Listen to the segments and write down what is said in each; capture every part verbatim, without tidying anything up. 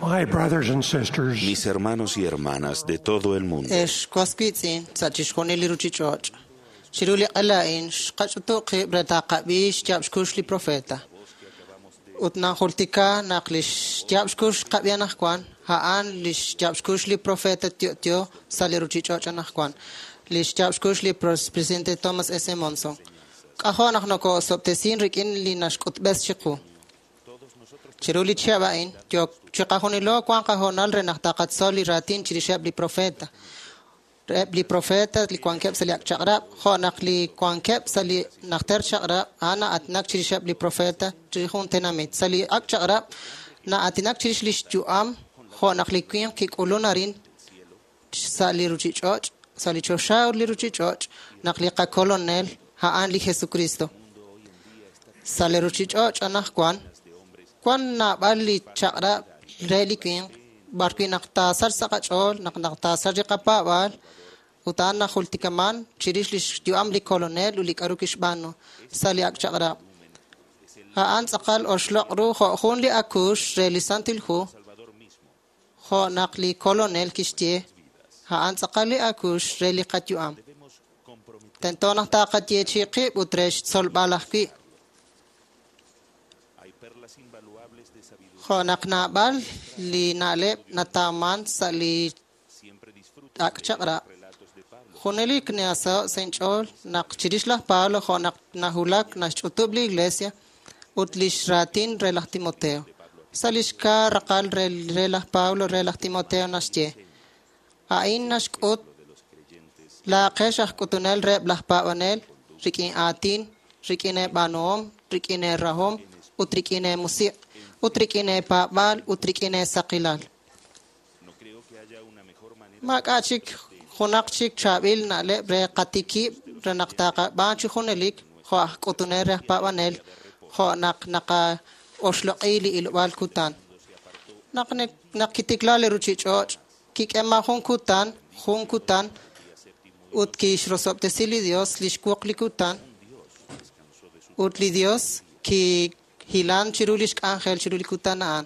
My brothers and sisters, Mis hermanos y hermanas de todo el mundo, Ex was wiitz'in sa' chixjunil li ruchich'och'. Chiru li q'ela a'in xqach'utu' qib' re taqab'i xyaab' xkux li profeta. Ut najultika naq li xyaab' xkux xqab'i anaqwan, a'an li xyaab' xkux li profeta Tio'tio sa' li ruchich'och' anaqwan. Li xyaab' xkux li presidente Thomas S. Monson. K'ajo' naq noko'osob'tesin rik'in li naxk'utb'es chiqu. Chiru li chihab' a'in, yo chiqajunilo wan qahoonal re naq taqatzol li raatin chirixeb' li profeta. Eb' li profeta li wankeb' sa' li ak' chaq'rab', jo' naq li wankeb' sa' li najter chaq'rab', a'an na'aatinak chirixeb' li profeta chirix jun tenamit. Sa' li ak' chaq'rab', na'aatinak chirix li xyu'am, jo' naq li winq kik'ulun arin sa' li ruchich'och', sa' li choxa ut li ruchich'och', naq li qakolonel a'an li Jesucristo. Sa' li ruchich'och' anaqwan, wan naab'al li chaq'rab' re li winq, b'arwi' naq taasach sa' qach'ool, naq naq taasach li qapaab'aal, ut a'an najultikaman chirix li xyu'am li kolonel ut li k'a'ru kixb'aanu sa' li ak' chaq'rab'. A'an tz'aqal oxloq' ru jo' jun li akuux re li Santil Hu, jo' naq li kolonel kixye, a'an tz'aqal li akuux re li qayu'am. Tento naq taqayeechi' qib' ut re xtzolb'al ajwi'. Jo' naq naab'al li na'leb' natawman sa' li ak' chaq'rab'. Junelik nasaho' sa' inch'ool naq chirix laj Pablo jo' naq najulak naxch'utub' li iglesia ut lix raatin re laj Timoteo. Sa' lix kaa raqal re, re laj Pablo re laj Timoteo naxye, a'in naxk'ut laaqex aj k'utunel reheb' laj paab'anel rik'in aatin, rik'in eeb'aanuhom, rik'in eerahom ut rik'in eemusiq' ut rik'in eepaab'aal ut rik'in eesaqilal. Maak'a' chik junaq chik chaab'il na'leb' re qatikib' re naq taqab'aan chi junelik jo' aj k'utunel re aj paab'anel jo' naq naqaoxloq'i li ilob'aal kutan. Naq naq kitikla li ruchich'och' kik'eman jun kutan, jun kutan ut kixrosob'tesi li Dios li xwuq li kutan ut li Dios kihilan chiru lix k'anjel chiru li kutan a'an.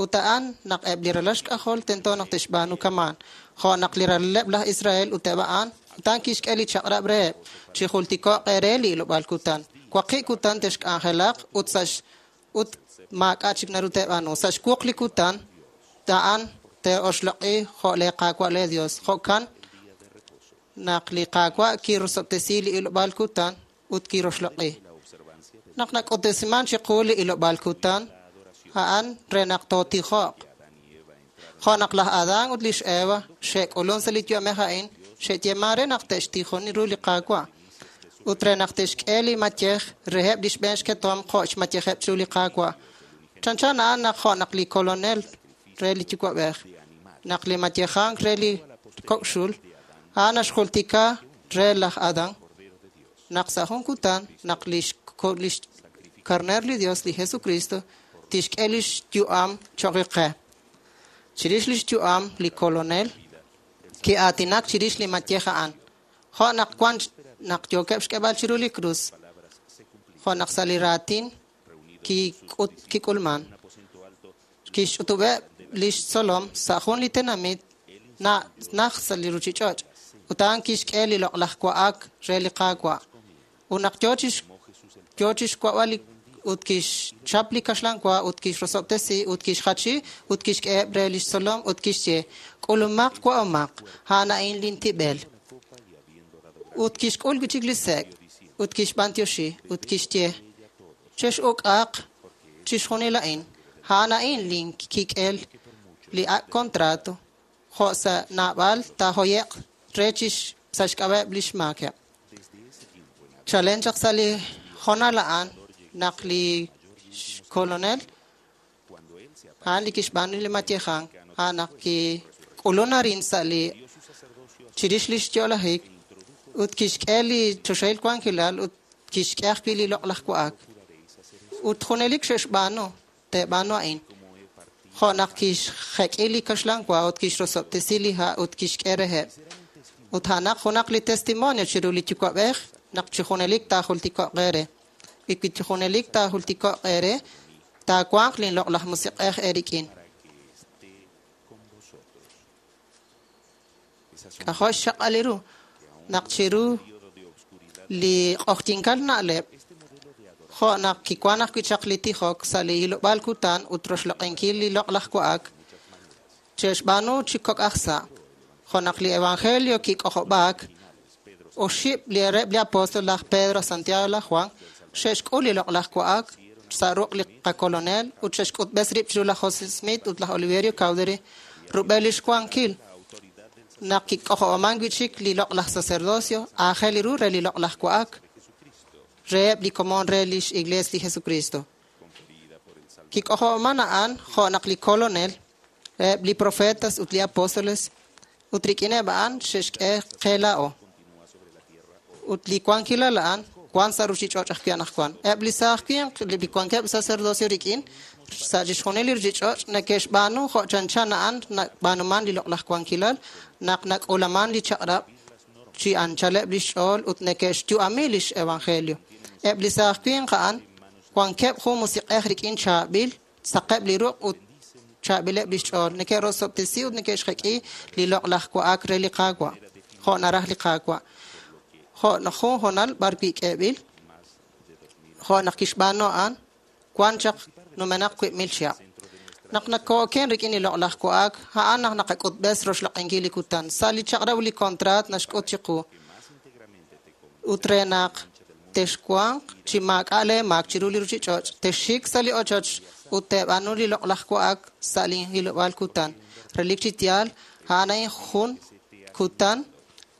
Ut a'an naq eb' li ralal xk'ajol tento naq te'xb'aanu kamaan. Jo' naq li ralaleb' laj Israel ut eb' a'an, utan kixk'e li chaq'rab' reheb' chi jultiko'q eere li ilob'aal kutan. Waqib' kutan te'xk'anjelaq ut sa' ut maak'a' chik naru te'b'aanu. Sa' xwuq li kutan a'an te'oxloq'i jo' le Qaawa' le Dios. Jo'kan naq li Qaawa' kirosob'tesi li ilob'aal kutan ut kiroxloq'i. Naq nak'utb'esiman chiqu li ilob'aal kutan, a'an re naq tootijo'q. Jo' naq laj Adán ut lix Eva xe'k'ulun sa' li yu'amej a'in, xe'yeeman re naq te'xtijoni ru li Qaawa' ut re naq te'xk'e li mayej reheb' li xb'een xketom jo' xmayejeb' chiru li Qaawa'. Chanchan a'an naq jo' naq li kolonel re li yuwa'b'ej, naq li mayejank re li kok'xul, a'an naxjultika re laj Adán naq sa' jun kutan naq lix lix karner li Dios, li Jesucristo, tixk'e lix yu'am cho'q qe. Chirix lix yu'am li kolonel ki'aatinak chirix li mayej a'an. Jo' naq wan naq yookeb' xk'eb'al chiru li krus, jo' naq sa' li raatin kik'ut kik'ulman. Kixch'utub'eb' lix tzolom sa' jun li tenamit na naj sa' li ruchich'och' ut a'an kixk'e li loq'laj wa'ak re li Qaawa'. Ut naq yo chix yo chixwa'b'al li ut kixchap li kaxlan wa ut kixrosob'tesi ut kixjachi ut kixk'eheb' re lix tzolom ut kixye k'ulumaq wa'omaq a'an a'in lintib'el. Ut kixk'ul wi' chik li sek' ut kixb'antioxi ut kixye chex'uk'aq chixjunil a'in a'an a'in linkik'el li ak' contrato jo' sa' naab'al taajoye'q re chix sa' xk'ab'a'eb' lix maakeb'. Chalen chaq sa' li hoonal a'an naq li kolonel a'an li kixb'aanu li mayejank a'an naq kik'ulun arin sa' li chirix lix yo'lajik ut kixk'e li choxahil wankilal ut kixk'e ajwi' li loq'laj wa'ak. Ut junelik xe'xb'aanu te'b'aanu a'in. Jo' naq kixjek'i li kaxlan wa ut kixrosob'tesi li ha' ut kixk'e reheb'. Ut a'anaq junaq li testimonio chiru li yuwa'b'ej naq chi junelik taajultiko'q eere. Y wi chi junelik taajultiko'q eere, taawanq linloq'laj musiq'ej eerik'in. K'ajo' xchaq'al ru naq chiru li q'oqyinkal na'leb' jo' naq kiwan ajwi' chaq li tijok sa' li hilob'aal kutan ut roxloq'inkil li loq'laj wa'ak che'xb'aanu chi kok' aj sa'. Jo' naq li evangelio kik'ojob'aak oxib' li reheb' li apóstol laj Pedro, Santiago, laj Juan xe'xk'ul li loq'laj wa'ak sa' ruq' li qakolonel ut xe'xk'utb'es rib' chiru laj José Smith ut laj Oliverio Cowdery rub'el lix wankil naq kik'ojob'aman wi' chik li loq'laj sacerdocio aajel ru re li loq'laj wa'ak reheb' li komon re lix Iglees li Jesucristo. Kik'ojob'aman a'an jo' naq li kolonel reheb' li profetas ut li apóstoles ut rik'ineb' a'an xe'xk'e qe laa'o. Ut li wankilal a'an wan sa' ruchich'och' ajwi' anaqwan. Eb' li saaj winq li wankeb' sacerdocio rik'in sa' chixjunil li ruchich'och' neke'xb'aanu jo' chanchan a'an nab'aanuman li loq'laj wankilal naq nak'ulaman li chaq'rab' chi anchaleb' lix ch'ool ut neke'xyu'ami lix evangelio. Eb' li saaj winq a'an wankeb' jun musiq'ej rik'in chaab'il saqeb' li ruq' ut chaab'ileb' lix ch'ool neke'rosob'tesi ut neke'xjek'i li loq'laj wa'ak re li Qaawa' jo' naraj li Qaawa'. Jo' jun honal b'ar wi' k'eeb'il jo' naq kixb'aanu a'an wan chaq numenaq wiib' mil chihab'. Naq nakooken rik'in li loq'laj wa'ak a'an naq naqak'utb'es roxloq'inkil li kutan. Sa' li chaq'rab' li kontraat naxk'ut chiqu ut re naq texwanq chi maak'a' lee maak chiru li ruchich'och' texxik sa' li ochoch ut teeb'aanu li loq'laj wa'ak sa' li hilob'aal kutan. Relik chi yaal a'an a'in jun kutan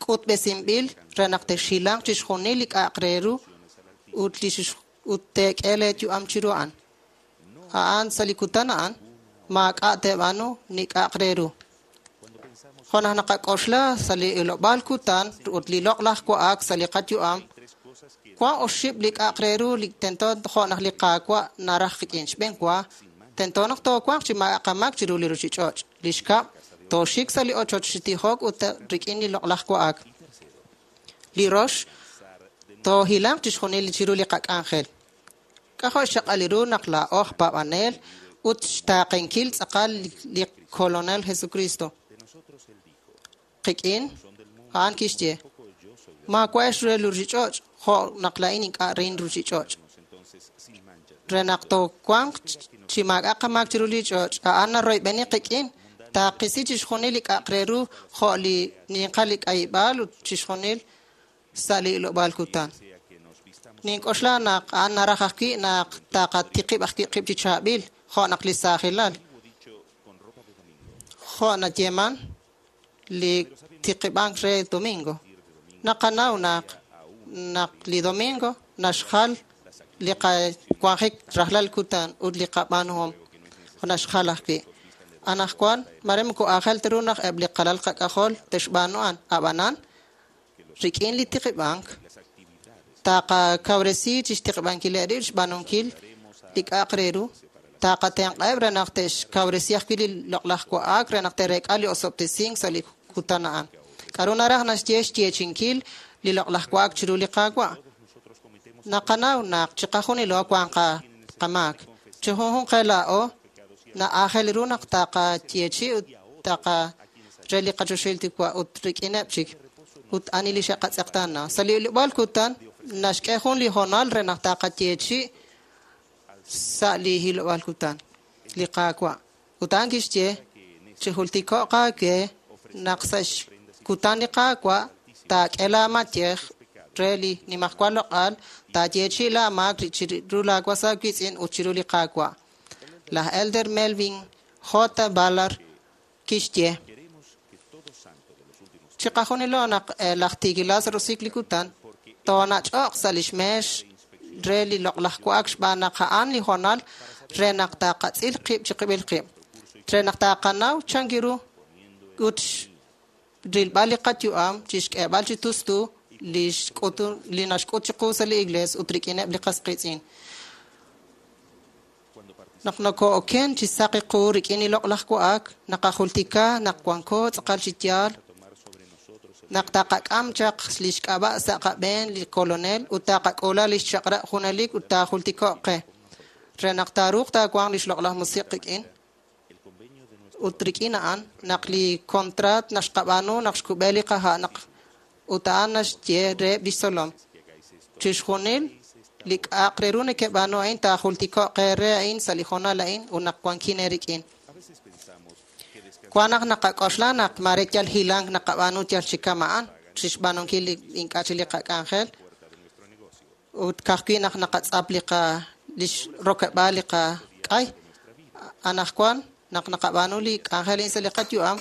k'utb'esinb'il re naq texhilanq chixjunil li k'a'aq re ru ut li ut teek'e lee yu'am chiru a'an. A'an sa' li kutan a'an maak'a' teeb'aanu ni k'a'aq re ru. Jo' naq naqak'oxla sa' li hilob'aal kutan ut li loq'laj wa'ak sa' li qayu'am wan oxib' li k'a'aq re ru li tento jo' naq li Qaawa' naraj qik'in. Xb'een wa tento naq toowanq chi maak'a' qamaak chiru li ruchich'och'. Li xkab' tooxik sa' li ochoch chi tijok ut rik'in li loq'laj wa'ak. Li rox toohilanq chixjunil chiru li qak'anjel. K'ajo' xchaq'al ru naq laa'o aj paab'anel ut xtaaqenkil tz'aqal li kolonel Jesucristo. Qik'in a'an kixye maawa'ex re li ruchich'och' jo' naq laa'in ink'a' rein ruchich'och'. Re naq toowanq chi maak'a' qamaak chiru li ch'och' a'an naroyb'eni qik'in taaqisi chixjunil li k'a'aq re ru jo' li ninqal li k'ayib'aal ut chixjunil sa' li ilob'aal kutan. Nink'oxla naq a'an naraj ajwi' naq taqatiqib' ajwi' qib' chi chaab'il jo' naq li saajilal. Jo' nayeeman li tiqib'ank re domingo. Naqanaw naq naq li domingo naxjal li qawanjik rajlal kutan ut li qab'aanuhom naxjal ajwi'. Anaqwan mare moko aajel ta ru naq eb' li qalal qak'ajol texb'aanu a'an ab'anan rik'in li tiqib'ank taqakawresi chixtiqib'ankileb' rib' xb'aanunkil li k'a'aq re ru taqatenq'eb' re naq te'xkawresi ajwi' li loq'laj wa'ak re naq te'reek'a li osob'tesink sa' li kutan a'an. K'aru naraj naxye xyeechinkil li loq'laj wa'ak chiru li Qaawa'. Naqanaw naq chiqajunilo wan qamaak. Chi junjunq qe laa'o na'aajel ru naq taqayeechi ut taqa re li qachoxahil Yuwa' ut rik'ineb' chik ut ani li xe'qatz'eqtaana. Sa' li ilob'aal kutan naxk'e jun li honal re naq taqayeechi sa' li hilob'aal kutan li Qaawa'. Ut a'an kixye chi jultiko'q aawe naq sa' xkutan li Qaawa' taak'e laamayej re li nimajwal loq'al taayeechi laamaak chiru laawas aawiitz'in ut chiru li Qaawa'. Laj Elder Melvin J. Ballard kixye chiqajunilo naq laj tiikilal sa' roso'jik li kutan toonach'oq sa' lix meex re li loq'laj wa'ak xb'aan naq a'an li honal re naq taqatz'il qib' chiqib'il qib' re naq taqanaw chan ru ut rilb'al li qayu'am chixk'eeb'al chi tustu li xk'utu li naxk'ut chiqu sa' li iglees ut rik'ineb' li qas qiitz'in. Naq nokoo'oken chi saqi qu rik'in li loq'laj wa'ak naqajultika naq wanko tz'aqal chi yaal naq taqak'am chaq lix k'ab'a' sa' qab'een li kolonel ut taqak'uula lix chaq'rab' junelik ut taajultiko'q qe re naq taaruuq taawanq lix loq'laj musiq' qik'in Ut rik'in a'an naq li kontraat naq xqab'aanu naq xkub'e li qaha' naq ut a'an naxye reheb' lix tzolom. Chixjunil li k'a'aq re ru nekeb'aanu a'in taajultiko'q eere a'in sa' li hoonal a'in ut naq wankin eerik'in. Wan naq naqak'oxla naq mare yal hilank naqab'aanu yal chi kama'an chixb'aanunkil li ink'a' chi li qak'anjel ut ka'ajwi' naq naqatz'ap li qa lix rokeb'aal li qak'ay. Anaqwan naq naqab'aanu li k'anjel a'in sa' li qayu'am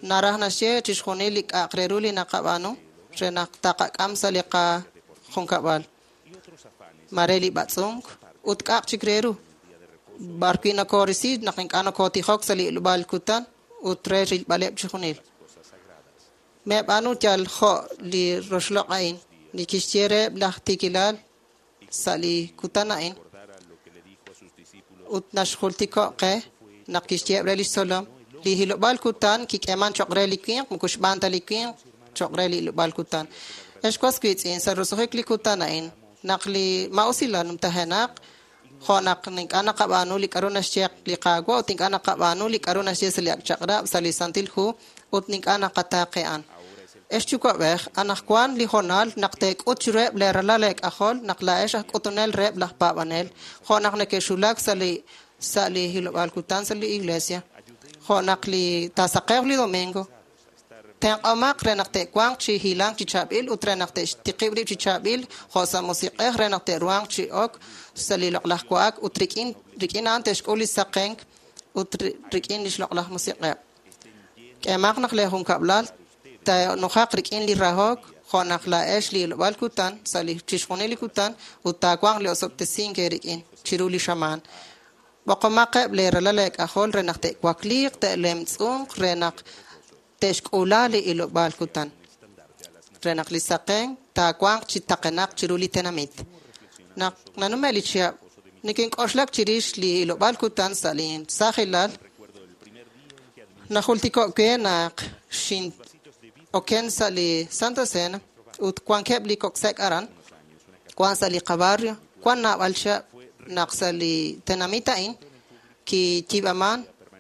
naraj naxye chixjunil li k'a'aq re ru li naqab'aanu re naq taqak'am sa' li qajunkab'al. Mare li b'atz'unk ut k'a'aq chik re ru. B'arwi' nokorisi naq ink'a' nokotijok sa' li ilob'aal kutan ut re rilb'aleb' chixjunil. Meb'aanu yal jo' li roxloq' a'in li kixye reheb' laj tiikilal sa' li kutan a'in ut naxjultiko' qe naq kixyeheb' re lix tzolom li hilob'aal kutan kik'eeman choq' re li winq moko xb'aan ta li winq choq' re li hilob'aal kutan. Ex was wiitz'in sa' roso'jik li kutan a'in naq li ma'usilal numtajenaq jo' naq ink'a' naqab'aanu li k'a'ru naxye li Qaawa' ut ink'a' naqab'aanu li k'a'ru naxye sa' li ak' chaq'rab' sa' li Santil Hu ut ink'a' naqataaqe'an. Ex yuwa'b'ej, anaqwan li hoonal naq teek'ut chiruheb' leeralal eek'ajol naq laa'ex aj k'utunel reheb' laj paab'anel jo' naq neke'xulak sa' li sa' li hilob'aal kutan sa' li iglesia jo' naq li taasaqewq li domingo tenq'omaq re naq te'wanq chi hilank chi chaab'il ut re naq te'xtiqib' rib' chi chaab'il jo' sa' musiq'ej re naq te'ruhanq chi ok sa' li loq'laj wa'ak ut rik'in rik'in a'an te'xk'ul li saqenk ut rik'in lix loq'laj musiq'eb'. K'eemaq naq lee junkab'lal taanujaq rik'in li rahok jo' naq laa'ex li ilob'aal kutan sa' li chixjunil li kutan ut taawanq li osob'tesink eerik'in chiru li xamaan. B'oqomaqeb' leeralal eek'ajol re naq te'wakliiq te'lemtz'unq re naq te'xk'uula li ilob'aal kutan re naq li saqen taawanq chi taqenaq chiru li tenamit. Naq nanume' li chihab' nikink'oxlak chirix li ilob'aal kutan sa' li saajilal najultiko' we naq xin-oken sa' li Santa Cena ut wankeb' li kok' sek' aran wan sa' li qabarrio wan naab'al chihab' naq sa' li tenamit a'in kiyiib'aman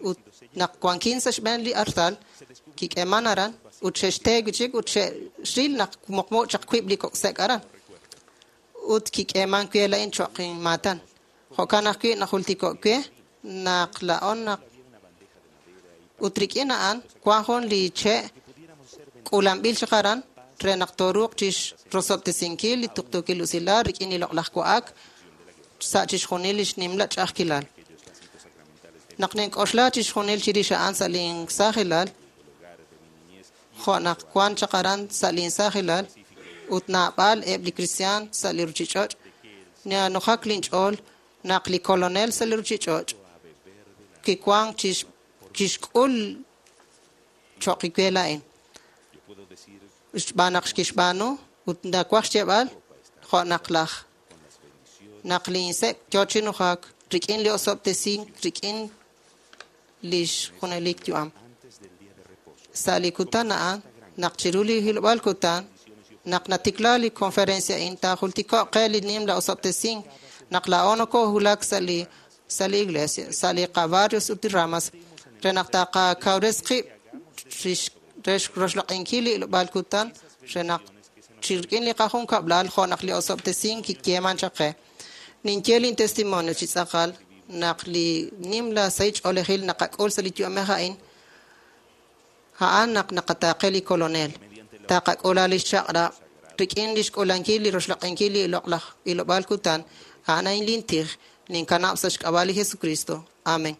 ut naq wankin sa' xb'een li artal kik'eeman aran ut xe'xte wi' chik ut xe'xril naq muqmu chaq wiib' li kok' sek' aran ut kik'eeman we la'in cho'q inmaatan. Jo'kan ajwi' najultiko' we naq la'on naq ut rik'in a'an wan jun li che' k'uulanb'il chaq aran re naq tooruuq chixrosob'tesinkil li tuqtuukil usilal rik'in li loq'laj wa'ak sa' chixjunil lix nimla ch'a'ajkilal. Naq nink'oxla chixjunil chirix a'an sa' linsaajilal jo' naq wan chaq aran sa' linsaajilal ut naab'al eb' li kristiaan sa' li ruchich'och' nanujak linch'ool naq li kolonel sa' li ruchich'och' kiwank chix kixk'ul cho'q we la'in. Xb'aan naq kixb'aanu ut nawaj xyeeb'al jo' naq laj naq linsek' yoo chi nujak rik'in li osob'tesink rik'in lix junelik yu'am. Sa' li kutan a'an naq chiru li hilob'aal kutan naq natikla li conferencia a'in taajultiko'q qe li nimla osob'tesink naq laa'o nokohulak sa' li sa' li iglesia sa' li qabarrios ut li ramas re naq taqakawres qib' re roxloq'inkil li ilob'aal kutan re naq chi rik'in li qajunkab'lal jo' naq li osob'tesink kiyeeman chaq qe. Ninye lin testimonio chi tz'aqal naq li nimla sahil ch'oolejil naqak'ul sa' li yu'amej a'in a'an naq naqataaqe li kolonel. Taqak'uula lix chaq'rab' rik'in lix k'uulankil li roxloq'inkil li loq'laj ilob'aal kutan a'an a'in lin tij ninkanab' sa' xk'ab'a' li Jesucristo. Amen.